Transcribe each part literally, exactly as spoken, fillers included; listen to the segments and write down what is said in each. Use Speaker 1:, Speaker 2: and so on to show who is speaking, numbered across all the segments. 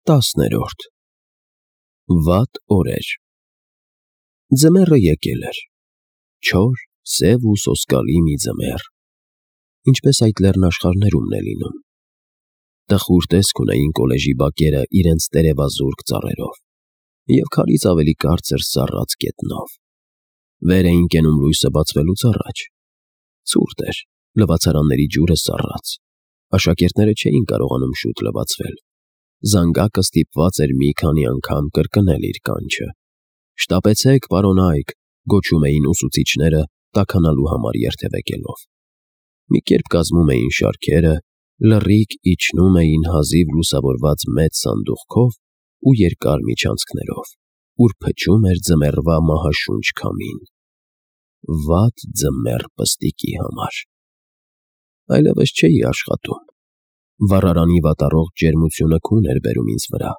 Speaker 1: Տասներորդ Վատ օրեր Ձմեռը եկել էր, չոր, սև ու սոսկալի մի ձմեռ, ինչպես այդ լեռնաշխարհներումն է լինում։ Տխուր տեսք ունեին կոլեժի բակերը իրենց տերևազուրկ ծառերով և քարից ավելի կարծր սառած գետնով։ Վեր էին կենում լույսը բացվելուց առաջ։ Ցուրտ էր, լվացարանների ջուրը սառած, աշակերտները չէին կարողանում շուտ լվացվել։ Զանգակը ստիպված էր մի քանի անգամ կրկնել իր կանչը։ «Շտապեցեք, պարոն Այք», գոչում էին ուսուցիչները տաքանալու համար երթևեկելով։ Մի կերպ կազմում էին շարքերը, լռիկ իջնում էին հազիվ լուսավորված մեծ սանդուղքով ու երկար միջանցքներով, ուր փչում էր ձմեռվա մահաշունչ քամին։ Վատ ձմեռ պստիկի համար։ Այլևս չէի աշխատում։ Վառարանի վատառողջ ջերմությունը քուն էր բերում ինձ վրա։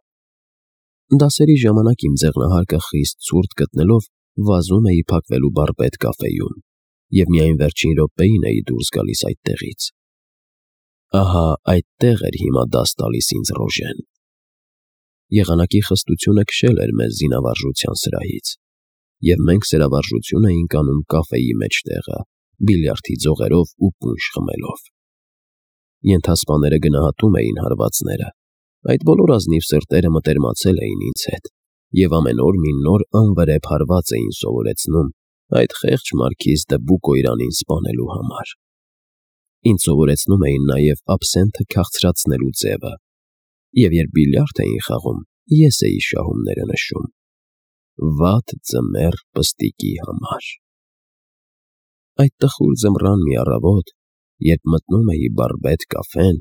Speaker 1: Դասերի ժամանակ իմ ձեղնահարկը խիստ ցուրտ գտնելով վազում էի փակվելու վարպետ կաֆեում և միայն վերջին րոպեին էի դուրս գալիս այդտեղից։ Ահա այդտեղ էր հիմա դաս տալիս ինձ Ռոժեն։ Եղանակի խստությունը քշել էր մեզ զինավարժության սրահից, և մենք սրավարժություն էինք անում կաֆեի մեջտեղը, բիլիարդի ձողերով ու պունշ խմելով։ Ենթասպաները գնահատում էին հարվածները, այդ բոլոր ազնիվ սրտերը մտերմացել էին ինձ հետ և ամեն օր մի նոր անվրեպ հարված էին սովորեցնում այդ խեղճ մարքիզ դը Բուկոյրանին սպանելու համար։ Ինձ սովորեցնում էին նաև աբսենթը քաղցրացնելու ձևը, և երբ բիլիարդ էին խաղում, ես էի շահումները նշում։ Վատ ձմեռ պստիկի համար։ Այդ տխուր ձմռան մի առավոտ, երբ մտնում էի վարպետ կաֆեն,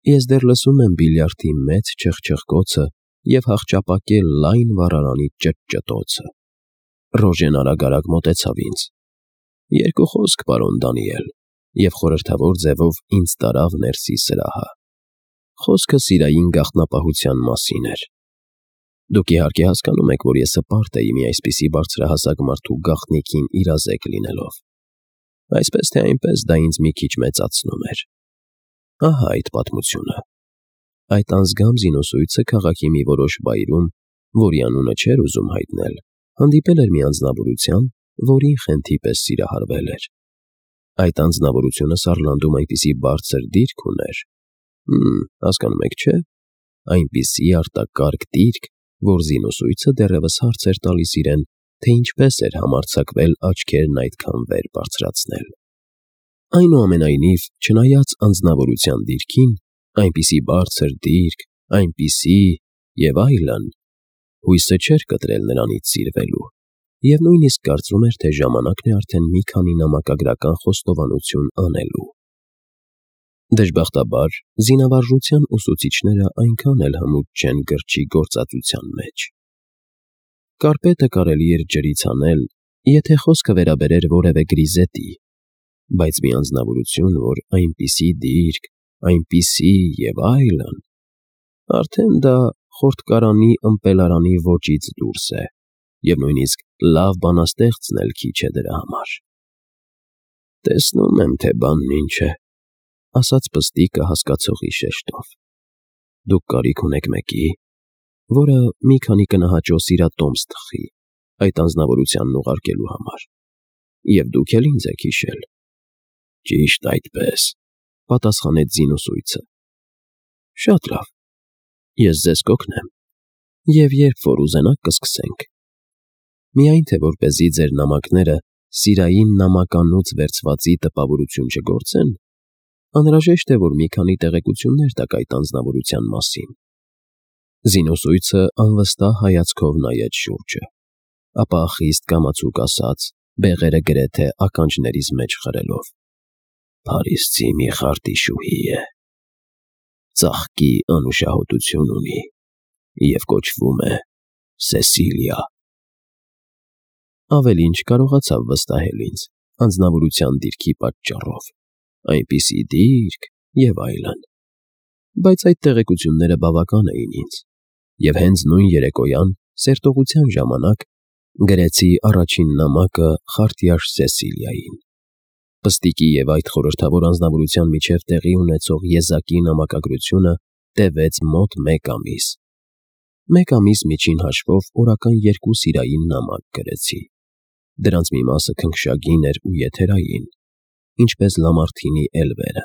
Speaker 1: ես դեռ լսում եմ բիլիարդի մեծ չխչխկոցը և հախճապակե լայն վառարանի ճտճտոցը։ Ռոժեն արագ-արագ մոտեցավ ինձ։ «Երկու խոսք, պարոն Դանիել», և խորհրդավոր ձևով ինձ տարավ ներսի սրահը։ Խոսքը սիրային գաղտնապահության մասին էր։ Դուք իհարկե հասկանում եք, որ ես հպարտ էի մի այսպիսի բարձրահասակ մարդու գաղտնիքին իրազեկ լինելով։ Այսպես թե այնպես դա ինձ մի քիչ մեծացնում էր։ Ահա այդ պատմությունը։ Այդ անձգամ զինոսույցը քաղաքի մի որոշ վայրում, որի անունը չէր ուզում հայտնել, հանդիպել էր մի անձնավորության, որին խենթի պես սիրահարվել էր։ Այդ անձնավորությունը Սարլանդում այնպիսի բարձր դիրք ուներ, հմ, հասկանում եք, չէ՞, այնպիսի արտակարգ դիրք, որ զինոսույցը դեռևս հարց էր տալիս իրեն, թե ինչպես էր համարձակվել աչքերն այդքան վեր բարձրացնել։ Այնուամենայնիվ, չնայած անձնավորության դիրքին, այնպիսի բարձր դիրք, այնպիսի… և այլն, հույսը չէր կտրել նրանից սիրվելու, և նույնիսկ կարծում էր, թե ժամանակն է արդեն մի քանի նամակագրական խոստովանություն անելու։ Դժբախտաբար, զինավարժության ուսուցիչները այնքան էլ հմուտ չեն գրչի գործածության մեջ։ Կարպետը կարելի էր ջրից հանել, եթե խոսքը վերաբերեր որևէ գրիզետի, բայց մի անձնավորություն, որ այնպիսի դիրք, այնպիսի… և այլն… արդեն դա խորտկարանի ըմպելարանի ոճից դուրս է, և նույնիսկ լավ բանաստեղծն էլ քիչ է դրա համար։ «Տեսնում եմ, թե բանն ինչ է», ասաց պստիկը հասկացողի շեշտով։ «Դուք կարիք ունեք մեկի, որը մի քանի կնահաճո սիրատոմս թխի այդ անձնավորությանն ուղարկելու համար, և դուք էլ ինձ եք հիշել»։ «Ճիշտ այդպես», պատասխանեց զինուսույցը։ «Շատ լավ, ես ձեզ կօգնեմ, և երբ որ ուզենաք կսկսենք։ Միայն թե որպեսզի ձեր նամակները սիրային նամականոց վերցվածի տպավորություն չգործեն, անհրաժեշտ է, որ մի քանի տեղեկություններ տաք այդ անձնավորության մասին»։ Զինուսույցը անվստահ հայացքով նայեց շուրջը, ապա խիստ կամացուկ ասաց, բեղերը գրեթե ականջներիս մեջ խրելով. «Փարիզցի մի խարտիշուհի է, ծաղկի անուշահոտություն ունի և կոչվում է Սեսիլիա»։ Ավելին չկարողացավ վստահել ինձ անձնավորության դիրքի պատճառով, այնպիսի դիրք… և այլն։ Բայց այդ տեղեկությունները բավական էին ինձ, և հենց նույն երեկոյան, սերտողության ժամանակ, գրեցի առաջին նամակը խարտյաշ Սեսիլիային։ Պստիկի և այդ խորհրդավոր անձնավորության միջև տեղի ունեցող եզակի նամակագրությունը տևեց մոտ մեկ ամիս, Մեկ ամիս միջին հաշվով օրական երկու սիրային նամակ գրեցի։ Դրանց մի մասը քնքշագին էր ու եթերային, ինչպես Լամարթինի էլվերը։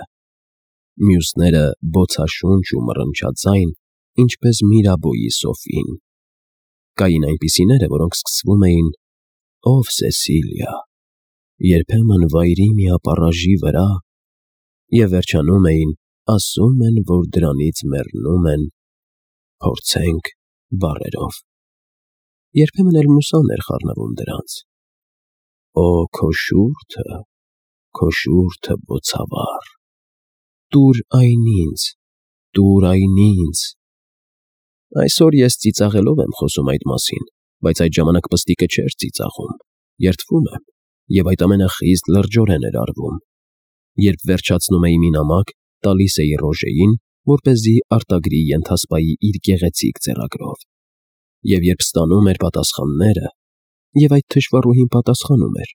Speaker 1: Մյուսները բոցաշունչ ու մռնչաձայն, ինչպես Միրաբոյի Սոֆին։ Կային այնպիսիները, որոնք սկսվում էին «Ով Սեսիլիա», երբեմն «Վայրի մի ապառաժի վրա» և վերջանում էին «Ասում են, որ դրանից մեռնում են, փորձենք» բառերով։ Երբեմն էլ մուսան էր խառնվում դրանց. «Օ քո շուրթը, քո շուրթը բոցավառ, տուր այն ինձ, տուր այն ինձ»։ Այսօր ես ծիծաղելով եմ խոսում այդ մասին, բայց այդ ժամանակ պստիկը չէր ծիծաղում, երդվում եմ, և այդ ամենը խիստ լրջորեն էր արվում։ Երբ վերջացնում էի մի նամակ, տալիս էի Ռոժեին, որպեսզի արտագրի ենթասպայի իր գեղեցիկ ձեռագրով։ Եվ երբ ստանում էր պատասխանները, և այդ թշվառուհին պատասխանում էր,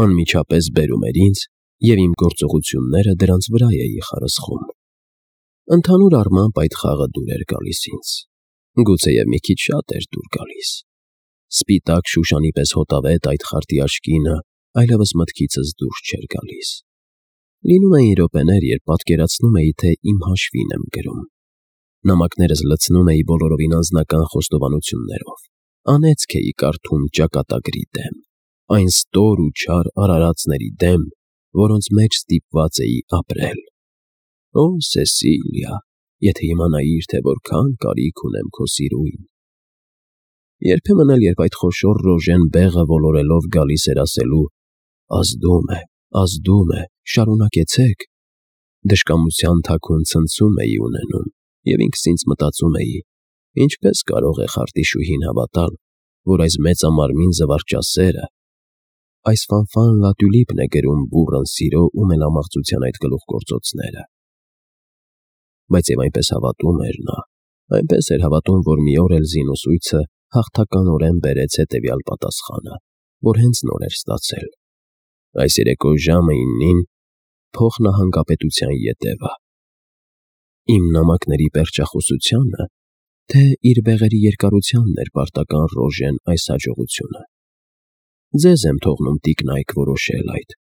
Speaker 1: անմիջապես բերում էր ինձ, և իմ գործողությունները դրանց վրա էի խարսխում։ Ընդհանուր առմամբ այդ խաղը դուր էր գալիս ինձ, գուցեև մի քիչ շատ էր դուր գալիս։ Սպիտակ շուշանի պես հոտավետ այդ խարտի աչքինը այլևս մտքիցս դուրս չէր գալիս։ Լինում էին րոպեներ, երբ պատկերացնում էի, թե իմ հաշվին եմ գրում։ Նամակներս լցնում էի բոլորովին անձնական խոստովանություններով, անեծք էի կարդում ճակատագրի դեմ, այն ստոր ու չար արարածների դեմ, որոնց մեջ ստիպված էի ապրել։ Օ Սեսիլիա, եթե իմանայիր, թե որքան կարիք ունեմ քո սիրույն։ Երբեմն էլ, երբ այդ խոշոր Ռոժեն բեղը ոլորելով գալիս էր ասելու «Ազդում է, ազդում է, շարունակեցեք», դժկամության թաքուն ցնցում էի ունենում, և ինքս ինձ մտածում էի. ինչպես կարող է խարտիշուհին հավատալ, որ այս մեծամարմին զվարճասերը, այս Ֆանֆան Լատուլիպն է գրում բուռն սիրո ու մելամաղձության այդ գլուխգործոցները։ Բայց և այնպես հավատում էր նա, այնպես էր հավատում, որ մի օր էլ զինուսույցը հաղթականորեն բերեց հետևյալ պատասխանը, որ հենց նոր էր ստացել. այս երեկո ժամը իննին փոխնահանգապետության ետևը։ Իմ նամակների պերճախոսությանը, թե իր բեղերի երկարությանն էր պարտական Ռոժեն այս հաջողությունը։ Ձեզ եմ թողնում տիկնայք որոշել այդ։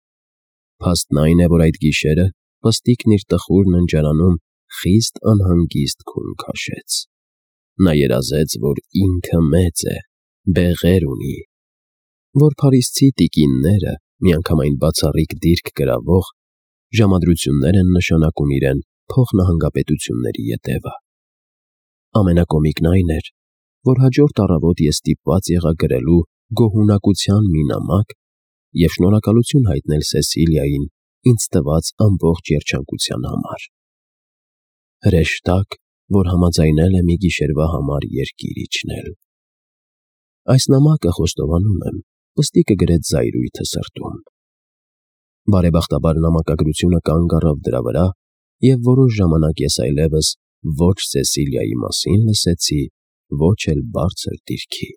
Speaker 1: Փաստն այն է, որ այդ գիշերը պստիկն իր տխուր ննջարանում խիստ անհանգիստ քուն քաշեց։ Նա երազեց, որ ինքը մեծ է, բեղեր ունի, որ փարիսցի տիկինները, միանգամայն բացառիկ դիրք գրավող, ժամադրություններ են նշանակում իրեն փոխնահանգապետությունների ետևը։ Ամենակոմիկն այն էր, որ հաջորդ առավոտ ես ստիպված եղա գրելու գոհունակության մի նամակ և շնորհակալություն հայտնել Սեսիլիային ինձ տված ամբողջ երջանկության համար։ Հրեշտակ, որ համաձայնել է մի գիշերվա համար երկիր իջնել։ Այս նամակը, խոստովանում եմ, պստիկը գրեց զայրույթը սրտում։ Բարեբախտաբար նամակագրությունը կանգ առավ դրա վրա, և որոշ ժամանակ ես այլևս ոչ Սեսիլիայի մասին լսեցի, ոչ էլ բարձր դիրքի։